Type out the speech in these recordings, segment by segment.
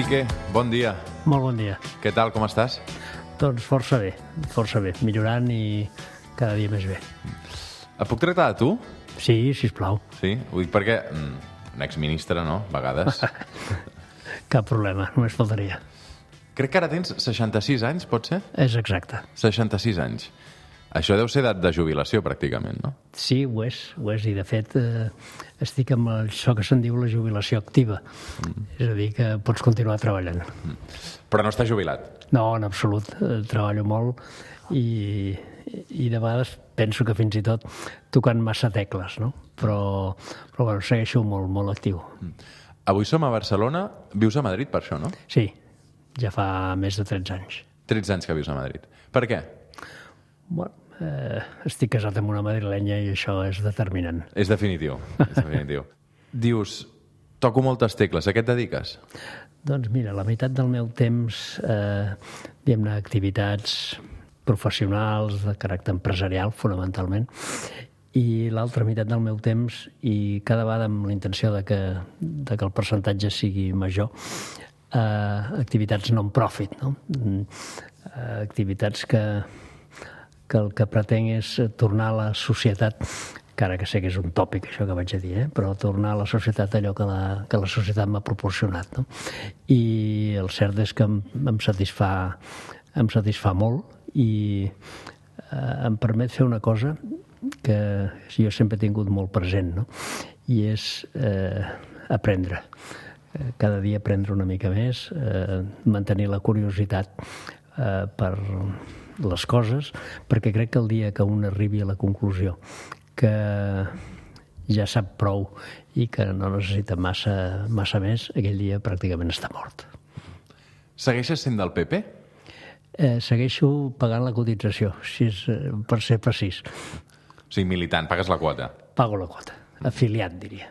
Piqué, bon dia. Molt bon dia. Què tal, com estàs? Doncs força bé, millorant i cada dia més bé. Et puc tractar de tu? Sí, sisplau. Sí? Ho dic perquè un exministre, no?, a vegades. Cap problema, només faltaria. Crec que ara tens 66 anys, pot ser? És exacte. 66 anys. Això deu ser edat de jubilació, pràcticament, no? Sí, ho és, i de fet estic amb això que se'n diu la jubilació activa. És a dir, que pots continuar treballant. Però no estàs jubilat? No, en absolut. Treballo molt i de vegades penso que fins i tot tocant massa tecles, no? Però bueno, segueixo molt actiu. Avui som a Barcelona. Vius a Madrid, per això, no? Sí, ja fa més de 13 anys. 13 anys que vius a Madrid. Per què? Bueno, estic casat amb una madrilenya i això és determinant. És definitiu, és definitiu. Dius, toco moltes tecles, a què et dediques? Doncs mira, la meitat del meu temps, diguem-ne, activitats professionals de caràcter empresarial, fonamentalment, i l'altra meitat del meu temps, i cada vegada amb la intenció de que el percentatge sigui major, activitats non-profit, no? Activitats que el que pretenc és tornar a la societat, encara que sé que és un tòpic això que vaig a dir, però tornar a la societat allò que la societat m'ha proporcionat, no? I el cert és que em satisfà molt i em permet fer una cosa que jo sempre he tingut molt present, no? I és aprendre. Cada dia aprendre una mica més, mantenir la curiositat per les coses, perquè crec que el dia que un arribi a la conclusió que ja sap prou i que no necessita massa més, aquell dia pràcticament està mort. Segueixes sent del PP? Segueixo pagant la cotització, si és per ser precís. O sigui, militant, pagues la quota. Pago la quota, afiliat, diria.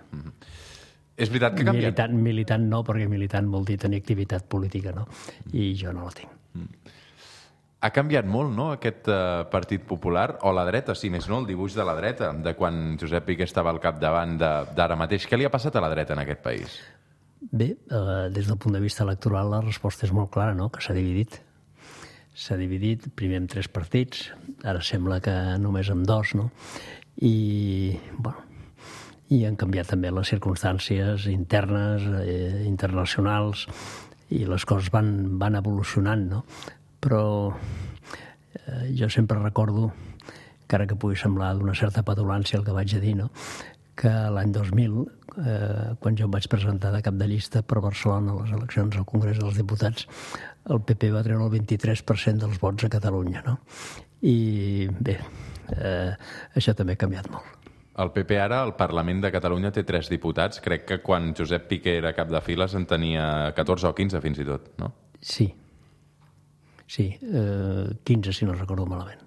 És veritat que ha canviat? Militant no, perquè militant vol dir tenir activitat política, no? I jo no la tinc. Ha canviat molt, no?, aquest Partit Popular, o la dreta, si més no, el dibuix de la dreta, de quan Josep Piqué estava al capdavant d'ara mateix. Què li ha passat a la dreta en aquest país? Bé, des del punt de vista electoral la resposta és molt clara, no?, que s'ha dividit. S'ha dividit primer en 3 partits, ara sembla que només en 2, no? I, bueno, i han canviat també les circumstàncies internes, internacionals, i les coses van evolucionant, no? Però jo sempre recordo, encara que pugui semblar d'una certa petulància el que vaig a dir, no?, que l'any 2000, quan jo em vaig presentar de cap de llista per Barcelona a les eleccions al Congrés dels Diputats, el PP va treure el 23% dels vots a Catalunya, no? I bé, això també ha canviat molt. El PP ara, al Parlament de Catalunya, té 3 diputats. Crec que quan Josep Piqué era cap de files en tenia 14 o 15 fins i tot, no? Sí, 15, si no recordo malament.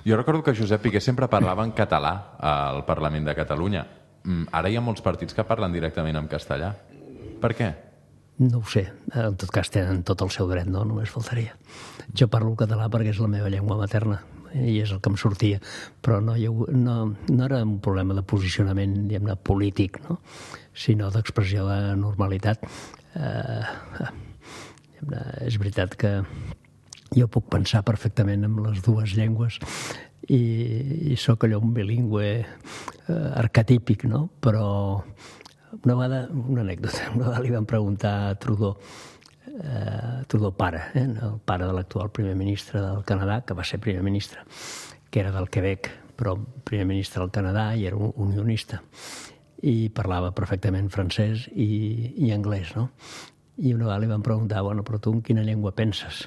Jo recordo que Josep Piqué sempre parlava en català al Parlament de Catalunya. Ara hi ha molts partits que parlen directament en castellà. Per què? No ho sé. En tot cas tenen tot el seu dret, no? Només faltaria. Jo parlo català perquè és la meva llengua materna i és el que em sortia. Però no era un problema de posicionament, diguem-ne, polític, no?, sinó d'expressió de normalitat. És veritat que jo puc pensar perfectament en les 2 llengües i sóc allò un bilingüe arquetípic, no? Però una anècdota, una vegada li van preguntar a Trudeau pare, el pare de l'actual primer ministre del Canadà, que va ser primer ministre, que era del Quebec, però primer ministre del Canadà i era un unionista, i parlava perfectament francès i anglès, no? I una vegada li van preguntar, bueno, però tu en quina llengua penses?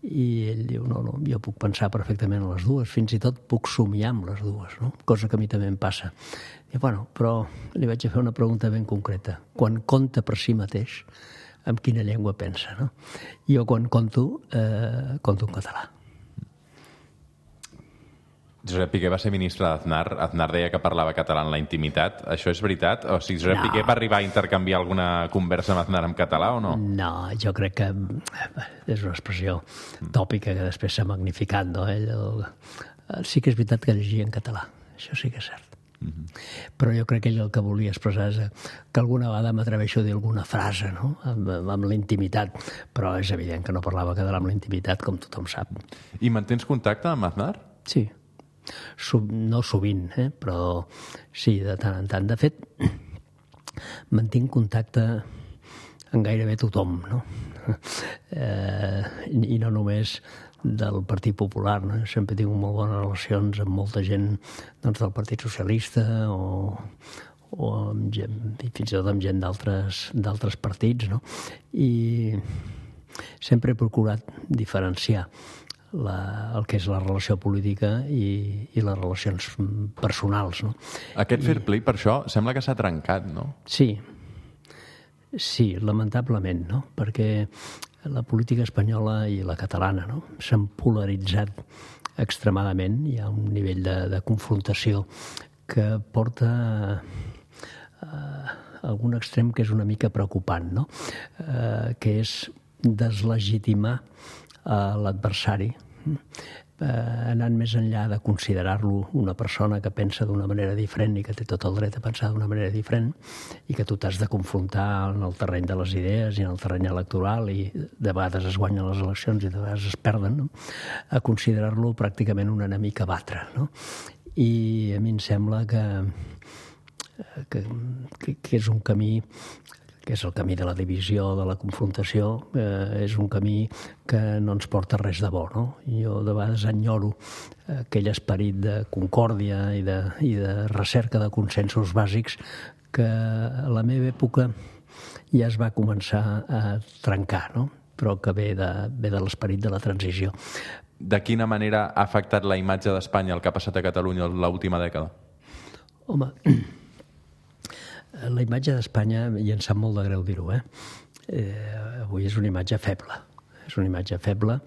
I ell diu, no, jo puc pensar perfectament en les 2, fins i tot puc somiar amb les 2, no? Cosa que a mi també em passa. I bueno, però li vaig fer una pregunta ben concreta. Quan conta per si mateix, en quina llengua pensa, no? Jo quan conto en català. Josep Piqué va ser ministre d'Aznar. Aznar deia que parlava català en la intimitat. Això és veritat? O sigui, Josep Piqué va arribar a intercanviar alguna conversa amb Aznar en català o no? No, jo crec que és una expressió tòpica que després s'ha magnificat, no? Ell sí que és veritat que llegia en català. Això sí que és cert. Però jo crec que ell el que volia expressar és que alguna vegada m'atreveixo a dir alguna frase, no? Amb la intimitat, però és evident que no parlava que amb la intimitat, com tothom sap. I mantens contacte amb Aznar? Sí, no sovint, però sí, de tant en tant. De fet, mantinc contacte amb gairebé tothom, no? I no només del Partit Popular, no? Sempre tinc molt bones relacions amb molta gent del Partit Socialista o amb gent, fins i tot amb gent d'altres partits, no? I sempre he procurat diferenciar el que és la relació política i les relacions personals, no? Aquest fair play, per això, sembla que s'ha trencat, no? Sí, lamentablement, no? Perquè la política espanyola i la catalana, no? S'han polaritzat extremadament. Hi ha un nivell de confrontació que porta a algun extrem que és una mica preocupant, no? Que és deslegitimar l'adversari, anant més enllà de considerar-lo una persona que pensa d'una manera diferent i que té tot el dret a pensar d'una manera diferent i que tu t'has de confrontar en el terreny de les idees i en el terreny electoral i de vegades es guanyen les eleccions i de vegades es perden, no? A considerar-lo pràcticament un enemic a batre, no? I a mi em sembla que és un camí que és el camí de la divisió, de la confrontació, és un camí que no ens porta res de bo, no? Jo de vegades enyoro aquell esperit de concòrdia i de recerca de consensos bàsics que a la meva època ja es va començar a trencar, no? Però que ve de l'esperit de la transició. De quina manera ha afectat la imatge d'Espanya el que ha passat a Catalunya l'última dècada? Home, la imatge d'Espanya, i em sap molt de greu dir-ho, avui és una imatge feble. És una imatge feble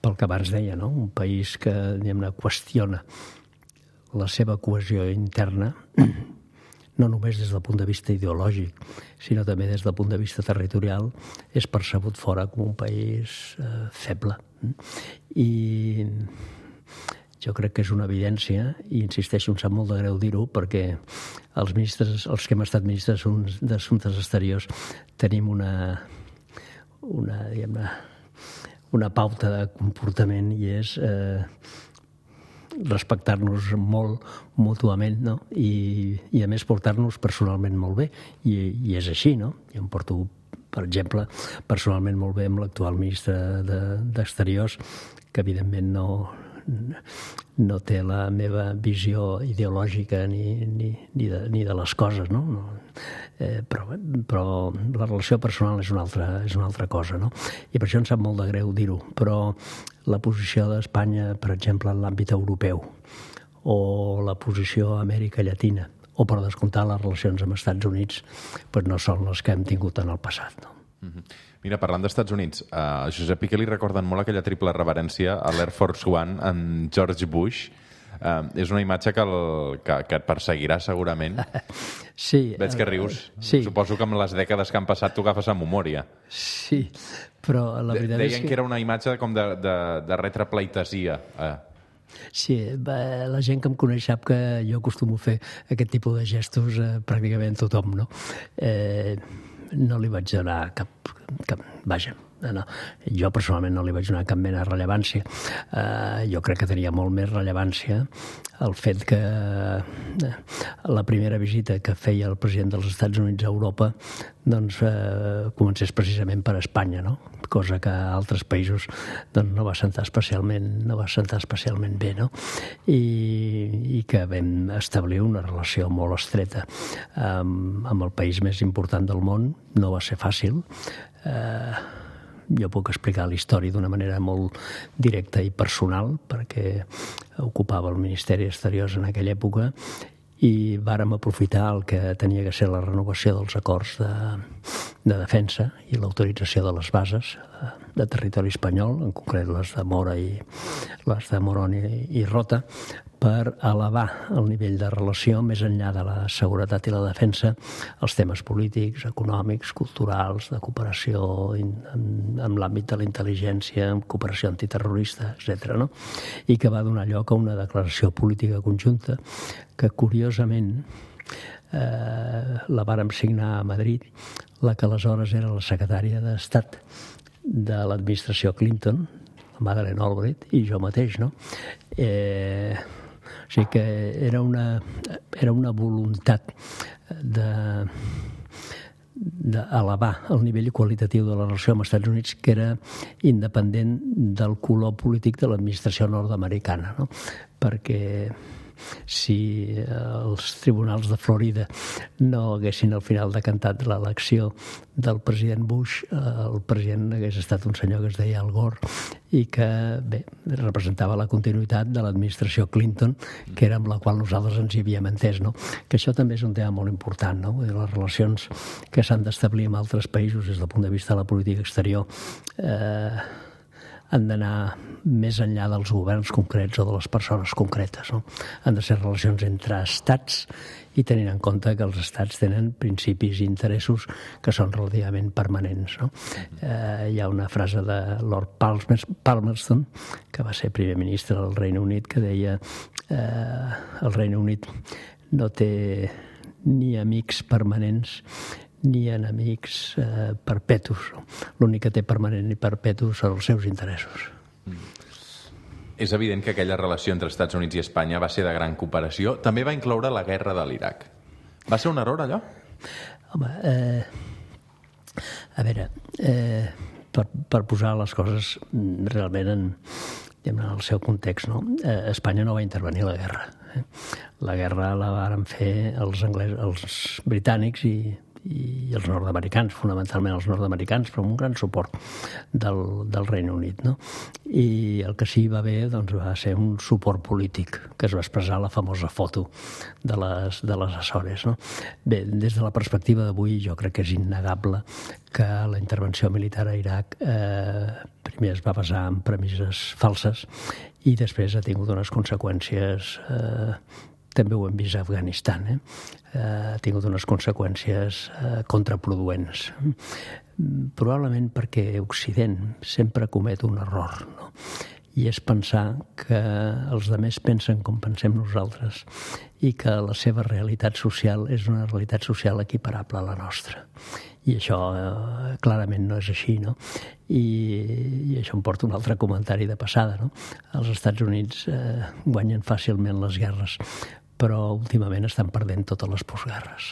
pel que abans deia, no? Un país que, diguem-ne, qüestiona la seva cohesió interna, no només des del punt de vista ideològic, sinó també des del punt de vista territorial, és percebut fora com un país feble. I jo crec que és una evidència, i insisteixo, em sap molt de greu dir-ho, perquè els que hem estat ministres d'Assumptes Exteriors tenim una pauta de comportament i és respectar-nos molt mútuament, no? I a més portar-nos personalment molt bé, i és així, no? Jo em porto, per exemple, personalment molt bé amb l'actual ministre d'Exteriors, que evidentment no té la meva visió ideològica ni de les coses, no? Però la relació personal és una altra cosa, no? I per això em sap molt de greu dir-ho, però la posició d'Espanya, per exemple, en l'àmbit europeu, o la posició a Amèrica Llatina, o per descomptar les relacions amb Estats Units, doncs no són les que hem tingut en el passat, no? Mira, parlant d'Estats Units, a Josep Piqué li recorden molt aquella triple reverència a l'Air Force One amb George Bush. És una imatge que et perseguirà segurament. Sí. Veig que rius. Sí. Suposo que amb les dècades que han passat tu agafes amb memòria. Sí, però la veritat és que... Deien que era una imatge com de retrapleitesia. Sí, la gent que em coneix sap que jo acostumo a fer aquest tipus de gestos pràcticament tothom, no? No li vaig donar cap vaja, no. Jo personalment no li vaig donar cap mena de rellevància. Jo crec que tenia molt més rellevància el fet que la primera visita que feia el president dels Estats Units a Europa doncs comencés precisament per Espanya, no? Cosa que a altres països doncs, no va sentar especialment bé, no? I que vam establir una relació molt estreta amb el país més important del món. No va ser fàcil. Jo puc explicar la història d'una manera molt directa i personal, perquè ocupava el Ministeri d'Exteriors en aquella època i vàrem aprofitar el que tenia que ser la renovació dels acords de defensa i l'autorització de les bases de territori espanyol, en concret les de Mora i les de Morón i Rota, per elevar el nivell de relació més enllà de la seguretat i la defensa als temes polítics, econòmics, culturals, de cooperació en l'àmbit de la intel·ligència, en cooperació antiterrorista, etc. No? I que va donar lloc a una declaració política conjunta que, curiosament, la vàrem signar a Madrid, la que aleshores era la secretària d'Estat de l'administració Clinton, la Madeleine Albright, i jo mateix, no? O sigui que era una voluntat d'elevar el nivell qualitatiu de la relació amb els Estats Units que era independent del color polític de l'administració nord-americana, no? Perquè si els tribunals de Florida no haguessin al final decantat l'elecció del president Bush, el president hagués estat un senyor que es deia Al Gore i que, bé, representava la continuïtat de l'administració Clinton, que era amb la qual nosaltres ens hi havíem entès, no? Que això també és un tema molt important, no? Les relacions que s'han d'establir amb altres països des del punt de vista de la política exterior han d'anar més enllà dels governs concrets o de les persones concretes, no? Han de ser relacions entre estats i tenint en compte que els estats tenen principis i interessos que són relativament permanents, no? Hi ha una frase de Lord Palmerston, que va ser primer ministre del Regne Unit, que deia el Regne Unit no té ni amics permanents ni enemics perpetus. L'únic que té permanent i perpetu són els seus interessos. És evident que aquella relació entre Estats Units i Espanya va ser de gran cooperació. També va incloure la guerra de l'Iraq. Va ser un error, allò? Home, a veure, per posar les coses realment en el seu context, no? Espanya no va intervenir a la guerra. La guerra la varen fer els britànics i els nord-americans, fonamentalment els nord-americans, però amb un gran suport del Regne Unit, no? I el que sí va haver doncs, va ser un suport polític que es va expressar a la famosa foto de les Açores, no? Bé, des de la perspectiva d'avui jo crec que és innegable que la intervenció militar a Iraq primer es va basar en premisses falses i després ha tingut unes conseqüències també ho hem vist a Afganistan, ha tingut unes conseqüències contraproduents. Probablement perquè Occident sempre comet un error, no? I és pensar que els altres pensen com pensem nosaltres i que la seva realitat social és una realitat social equiparable a la nostra. I això clarament no és així, no? I això em porta un altre comentari de passada, no? Els Estats Units guanyen fàcilment les guerres, però últimament estan perdent totes les postguerres.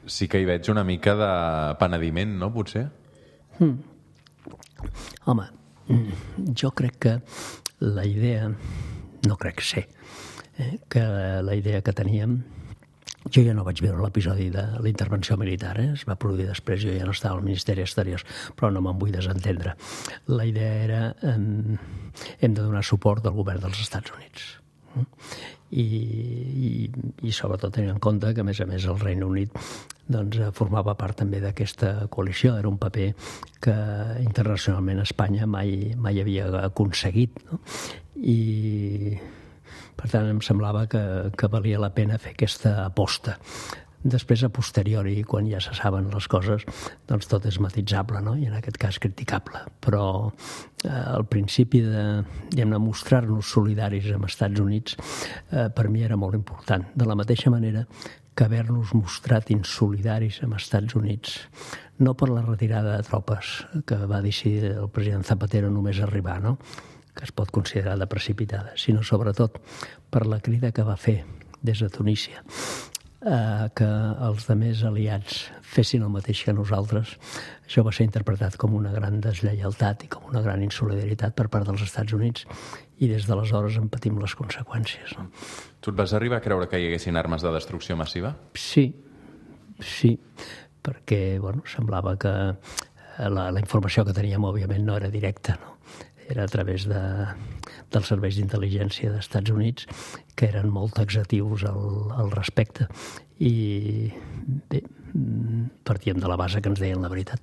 Sí que hi veig una mica de penediment, no, potser? Home, jo crec que la idea, no crec ser, que la idea que teníem, jo ja no vaig veure l'episodi de la intervenció militar, es va produir després, jo ja no estava al Ministeri d'Exteriors, però no me'n vull desentendre. La idea era hem de donar suport al govern dels Estats Units. I sobretot tenint en compte que, a més, el Regne Unit doncs, formava part també d'aquesta coalició. Era un paper que internacionalment Espanya mai havia aconseguit, no? I per tant em semblava que valia la pena fer aquesta aposta. Després, a posteriori, quan ja se saben les coses, doncs tot és matitzable, no? I en aquest cas criticable. Però al principi de mostrar-nos solidaris amb els Estats Units per mi era molt important. De la mateixa manera que haver-nos mostrat insolidaris amb els Estats Units, no per la retirada de tropes que va decidir el president Zapatero només arribar, no? Que es pot considerar de precipitada, sinó sobretot per la crida que va fer des de Tunísia que els altres aliats fessin el mateix que nosaltres. Això va ser interpretat com una gran deslleialtat i com una gran insolidaritat per part dels Estats Units i des d'aleshores en patim les conseqüències. No? Tu et vas arribar a creure que hi haguessin armes de destrucció massiva? Sí, perquè semblava que la informació que teníem òbviament no era directa, no? Era a través dels serveis d'intel·ligència dels Estats Units, que eren molt taxatius al respecte. I bé, partíem de la base que ens deien la veritat.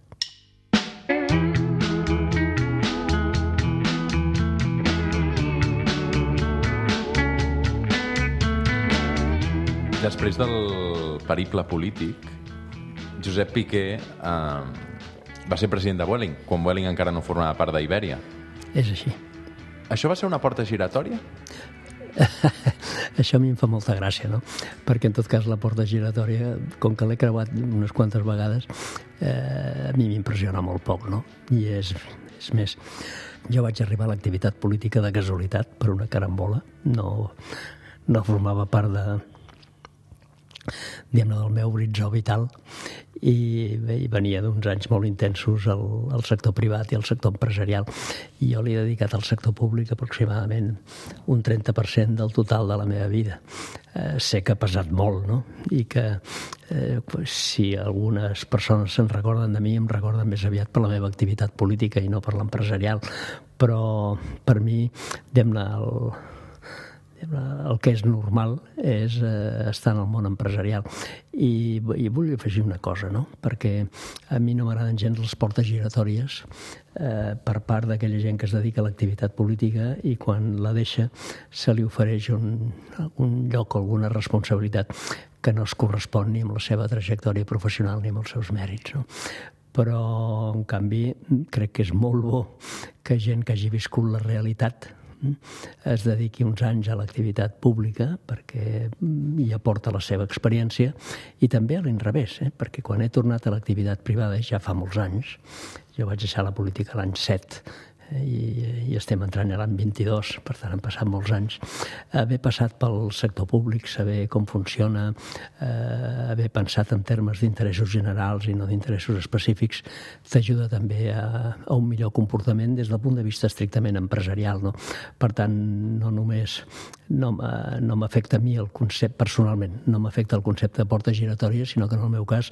després del periple polític, Josep Piqué va ser president de Vueling, quan Vueling encara no formava part d'Ibèria. És així. Això va ser una porta giratòria? Això a mi em fa molta gràcia, no? Perquè, en tot cas, la porta giratòria, com que l'he creuat unes quantes vegades, a mi m'impressiona molt poc, no? I és més, jo vaig arribar a l'activitat política de casualitat per una carambola, no formava part del meu horitzó vital, i venia d'uns anys molt intensos al sector privat i al sector empresarial, i jo li he dedicat al sector públic aproximadament un 30% del total de la meva vida. Sé que ha pesat molt, no? I que si algunes persones se'n recorden de mi, em recorden més aviat per la meva activitat política i no per l'empresarial, però per mi, el que és normal és estar en el món empresarial. I vull afegir una cosa, no? Perquè a mi no m'agraden gens les portes giratòries per part d'aquella gent que es dedica a l'activitat política i quan la deixa se li ofereix un lloc o alguna responsabilitat que no es correspon ni amb la seva trajectòria professional ni amb els seus mèrits, no? Però, en canvi, crec que és molt bo que gent que hagi viscut la realitat es dediqui uns anys a l'activitat pública perquè hi aporta la seva experiència, i també a l'inrevés, perquè quan he tornat a l'activitat privada, ja fa molts anys, jo vaig deixar la política l'any 7 i estem entrant a l'any 22, per tant han passat molts anys, haver passat pel sector públic, saber com funciona, haver pensat en termes d'interessos generals i no d'interessos específics, t'ajuda també a un millor comportament des del punt de vista estrictament empresarial, no? Per tant, no només no m'afecta a mi el concepte, personalment, no m'afecta el concepte de porta giratòria, sinó que en el meu cas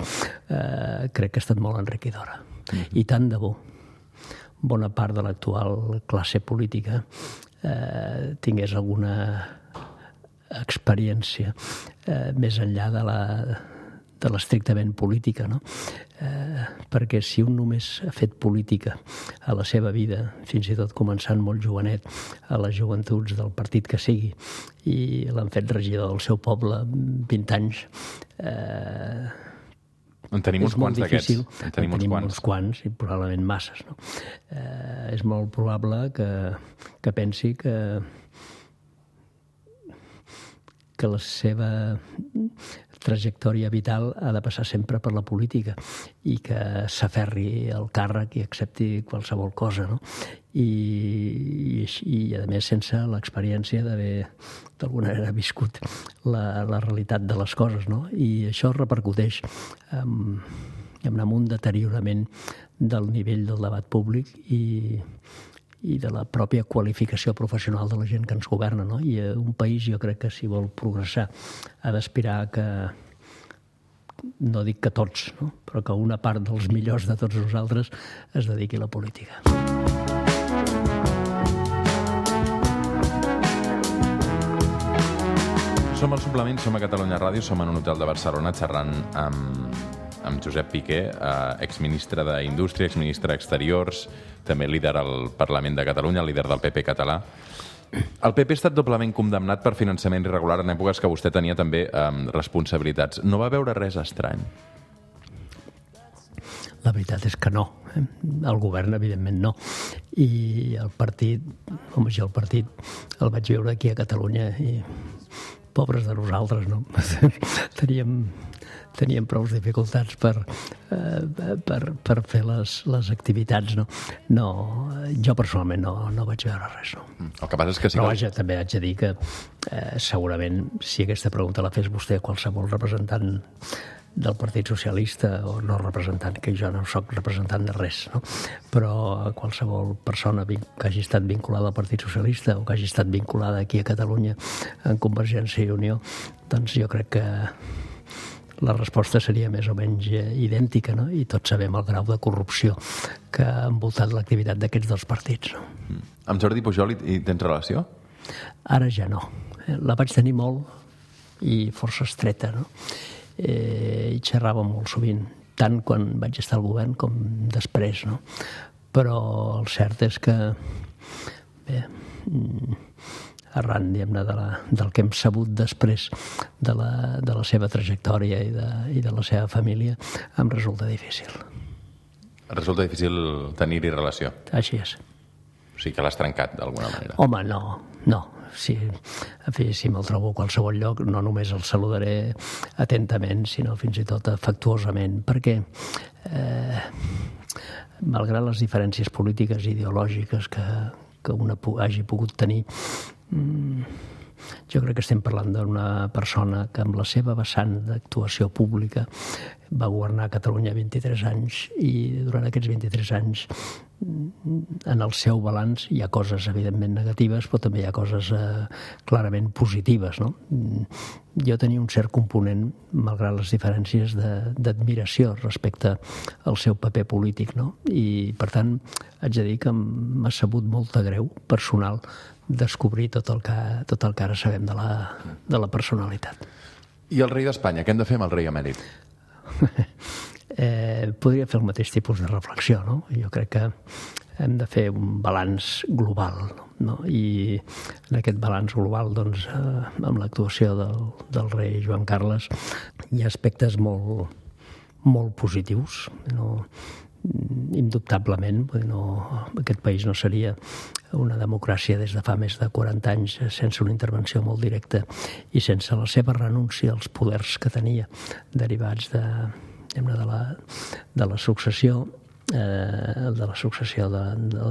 crec que ha estat molt enriquidora. I tant de bo bona part de l'actual classe política tingués alguna experiència més enllà de l'estrictament política, no? Perquè si un només ha fet política a la seva vida, fins i tot començant molt jovenet, a les joventuts del partit que sigui, i l'han fet regidor del seu poble 20 anys, en tenim uns quants d'aquests. En tenim uns quants, i probablement masses, no? És molt probable que pensi que la seva trajectòria vital ha de passar sempre per la política i que s'aferri al càrrec i accepti qualsevol cosa, no? I a més, sense l'experiència d'haver d'alguna manera viscut la realitat de les coses, no? I això repercuteix en un deteriorament del nivell del debat públic i de la pròpia qualificació professional de la gent que ens governa, no? I un país, jo crec que si vol progressar ha d'aspirar que, no dic que tots, no? Però que una part dels millors de tots nosaltres es dediqui a la política. Som al Suplement, som a Catalunya Ràdio, som en un hotel de Barcelona xerrant amb Josep Piqué, exministre d'Indústria, exministre d'Exteriors, també líder al Parlament de Catalunya, líder del PP català. El PP ha estat doblement condemnat per finançament irregular en èpoques que vostè tenia també responsabilitats. No va veure res estrany? La veritat és que no. El govern, evidentment, no. I el partit, el partit el vaig veure aquí a Catalunya i pobres de nosaltres, no? Teníem prou dificultats per fer les activitats, no? No, jo personalment no vaig veure res, no. El que passa és que sí. Però vaja, també haig de dir que segurament si aquesta pregunta la fes vostè a qualsevol representant del Partit Socialista, o no representant, que jo no soc representant de res, no? Però qualsevol persona que hagi estat vinculada al Partit Socialista o que hagi estat vinculada aquí a Catalunya en Convergència i Unió, doncs jo crec que la resposta seria més o menys idèntica, no? I tots sabem el grau de corrupció que ha envoltat l'activitat d'aquests dos partits, no? Amb Jordi Pujol hi tens relació? Ara ja no. La vaig tenir molt i força estreta, no? I xerrava molt sovint, tant quan vaig estar al govern com després, no? Però el cert és que, bé, arran, diguem-ne, del que hem sabut després de la seva trajectòria i de la seva família, em resulta difícil. Resulta difícil tenir-hi relació? Així és. O sigui que l'has trencat, d'alguna manera. Home, no. Sí, en fi, si me'l trobo a qualsevol lloc, no només el saludaré atentament, sinó fins i tot afectuosament, perquè malgrat les diferències polítiques i ideològiques que una hagi pogut tenir, jo crec que estem parlant d'una persona que amb la seva vessant d'actuació pública va governar Catalunya 23 anys i durant aquests 23 anys en el seu balanç hi ha coses evidentment negatives, però també hi ha coses clarament positives, no? Jo tenia un cert component, malgrat les diferències, d'admiració respecte al seu paper polític, no? I per tant haig de dir que m'ha sabut molt de greu personal descobrir tot el que ara sabem de la personalitat. I el rei d'Espanya? Què hem de fer amb el rei emèrit? Podria fer el mateix tipus de reflexió, no? Jo crec que hem de fer un balanç global, no? I en aquest balanç global, doncs, amb l'actuació del rei Joan Carles, hi ha aspectes molt, molt positius, no? Indubtablement, aquest país no seria una democràcia des de fa més de 40 anys sense una intervenció molt directa i sense la seva renúncia als poders que tenia derivats de la successió del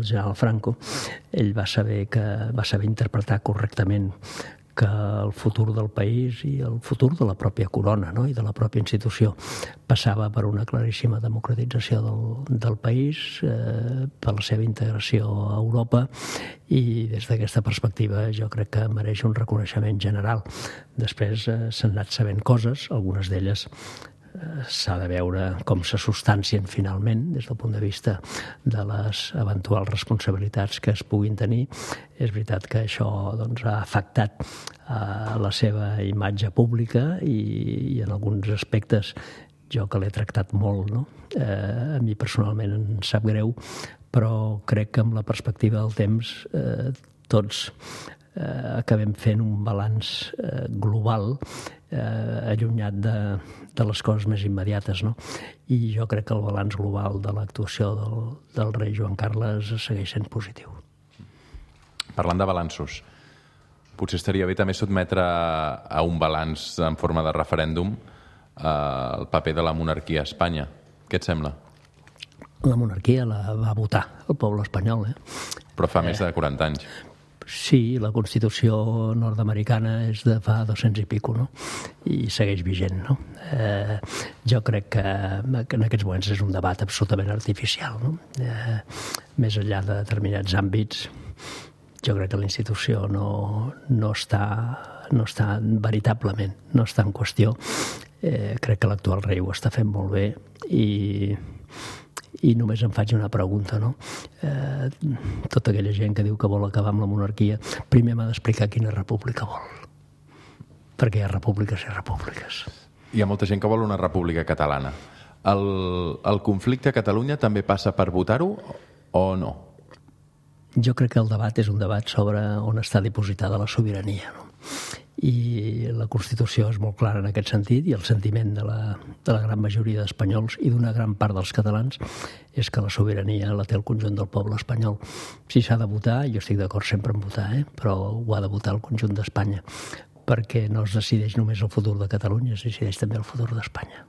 general Franco. Ell va saber interpretar correctament que el futur del país i el futur de la pròpia corona, no? I de la pròpia institució passava per una claríssima democratització del país, per la seva integració a Europa, i des d'aquesta perspectiva jo crec que mereix un reconeixement general. Després s'han anat sabent coses, algunes d'elles s'ha de veure com se substancien finalment des del punt de vista de les eventuals responsabilitats que es puguin tenir. És veritat que això ha afectat la seva imatge pública i en alguns aspectes jo que l'he tractat molt, no? A mi personalment em sap greu, però crec que amb la perspectiva del temps tots acabem fent un balanç global allunyat de les coses més immediates, no? I jo crec que el balanç global de l'actuació del rei Joan Carles segueix sent positiu. Parlant de balanços, potser estaria bé també sotmetre a un balanç en forma de referèndum el paper de la monarquia a Espanya. Què et sembla? La monarquia la va votar el poble espanyol, Però fa més de 40 anys. Sí, la Constitució nord-americana és de fa 200 i pico, no? I segueix vigent, no? Jo crec que en aquests moments és un debat absolutament artificial, no? Més enllà de determinats àmbits, jo crec que la institució no està veritablement, no està en qüestió. Crec que l'actual rei ho està fent molt bé i només em faig una pregunta, no? Tota aquella gent que diu que vol acabar amb la monarquia, primer m'ha d'explicar quina república vol. Perquè hi ha repúbliques i repúbliques. Hi ha molta gent que vol una república catalana. El conflicte a Catalunya també passa per votar-ho o no? Jo crec que el debat és un debat sobre on està dipositada la sobirania, no? I la Constitució és molt clara en aquest sentit, i el sentiment de la gran majoria d'espanyols i d'una gran part dels catalans és que la sobirania la té el conjunt del poble espanyol. Si s'ha de votar, jo estic d'acord sempre en votar, però ho ha de votar el conjunt d'Espanya, perquè no es decideix només el futur de Catalunya, es decideix també el futur d'Espanya.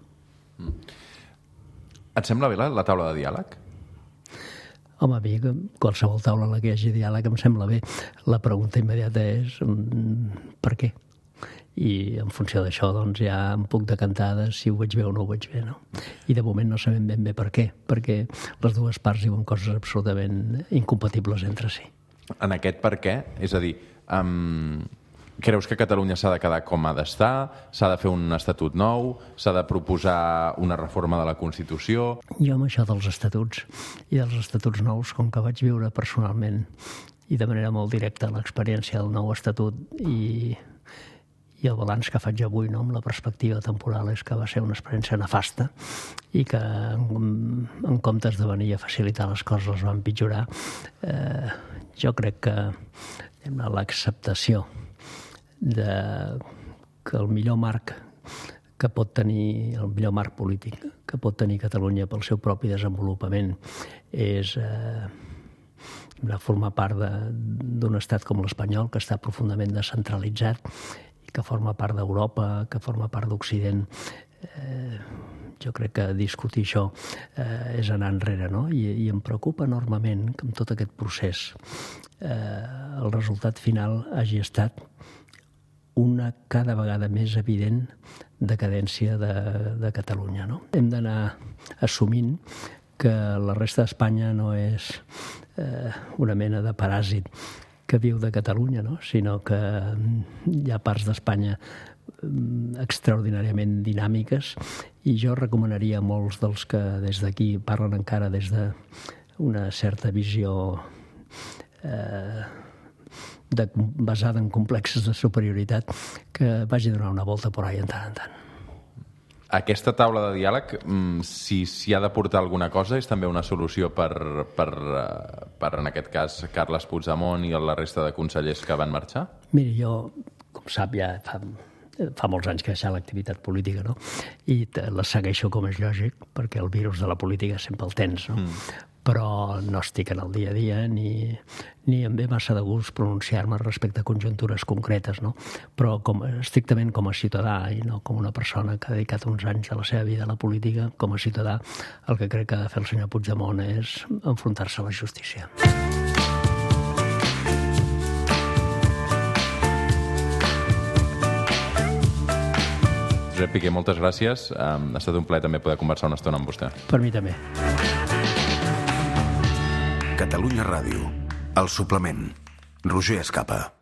Et sembla bé la taula de diàleg? Home, a mi qualsevol taula en la que hi hagi diàleg em sembla bé. La pregunta immediata és per què? I en funció d'això doncs ja em puc decantar de si ho veig bé o no ho veig bé, no? I de moment no sabem ben bé per què, perquè les dues parts diuen coses absolutament incompatibles entre si. En aquest per què? És a dir, creus que Catalunya s'ha de quedar com ha d'estar? S'ha de fer un estatut nou? S'ha de proposar una reforma de la Constitució? Jo amb això dels estatuts i dels estatuts nous, com que vaig viure personalment i de manera molt directa l'experiència del nou estatut i el balanç que faig avui, no, amb la perspectiva temporal, és que va ser una experiència nefasta i que en comptes de venir a facilitar les coses les va empitjorar. Jo crec que l'acceptació que el millor marc que pot tenir, el millor marc polític que pot tenir Catalunya pel seu propi desenvolupament és formar part d'un estat com l'espanyol, que està profundament descentralitzat i que forma part d'Europa, que forma part d'Occident. Jo crec que discutir això és anar enrere, no? I em preocupa enormement que amb tot aquest procés el resultat final hagi estat una cada vegada més evident decadència de Catalunya, no? Hem d'anar assumint que la resta d'Espanya no és una mena de paràsit que viu de Catalunya, no? Sinó que hi ha parts d'Espanya extraordinàriament dinàmiques i jo recomanaria a molts dels que des d'aquí parlen encara des d'una certa visió basada en complexes de superioritat que vagi a donar una volta por ahí en tant en tant. Aquesta taula de diàleg, si s'hi ha de portar alguna cosa, és també una solució per en aquest cas, Carles Puigdemont i la resta de consellers que van marxar? Miri, jo, com sap, ja fa molts anys que he deixat l'activitat política, no? I la segueixo com és lògic, perquè el virus de la política sempre el tens, no? Però no estic en el dia a dia ni em ve massa de gust pronunciar-me respecte a conjuntures concretes, no? Però estrictament com a ciutadà i no com una persona que ha dedicat uns anys de la seva vida a la política, com a ciutadà, el que crec que ha de fer el senyor Puigdemont és enfrontar-se a la justícia. Josep Piqué, moltes gràcies. Ha estat un plaer també poder conversar una estona amb vostè. Per mi també. Catalunya Ràdio, El Suplement, Roger Escapa.